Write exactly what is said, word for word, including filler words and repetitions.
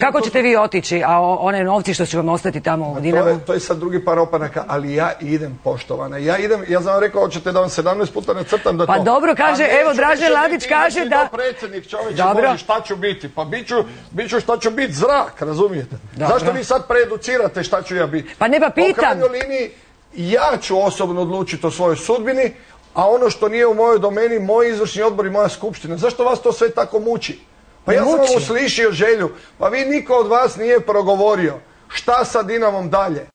Kako ćete vi otići, a one novci što će vam ostati tamo u Dinamu? To je, to je sad drugi par opanaka, ali ja idem, poštovana. Ja idem, ja sam vam rekao, hoćete da vam sedamnaest puta ne crtam da to... Pa dobro, kaže, evo, Dražen Ladić kaže da... Predsjednik, čovječe, Boži, šta ću biti? Pa bit ću, bit ću šta ću biti, zrak, razumijete? Dobro. Zašto vi sad preeducirate šta ću ja biti? Pa ne pa pitam. U krajnjoj liniji, ja ću osobno odlučiti o svojoj sudbini, a ono što nije u mojoj domeni, moj izvršni odbor i moja skupština. Zašto vas to sve tako muči? Pa ja sam vam uslišio želju, pa vi niko od vas nije progovorio. Šta sa Dinamom dalje?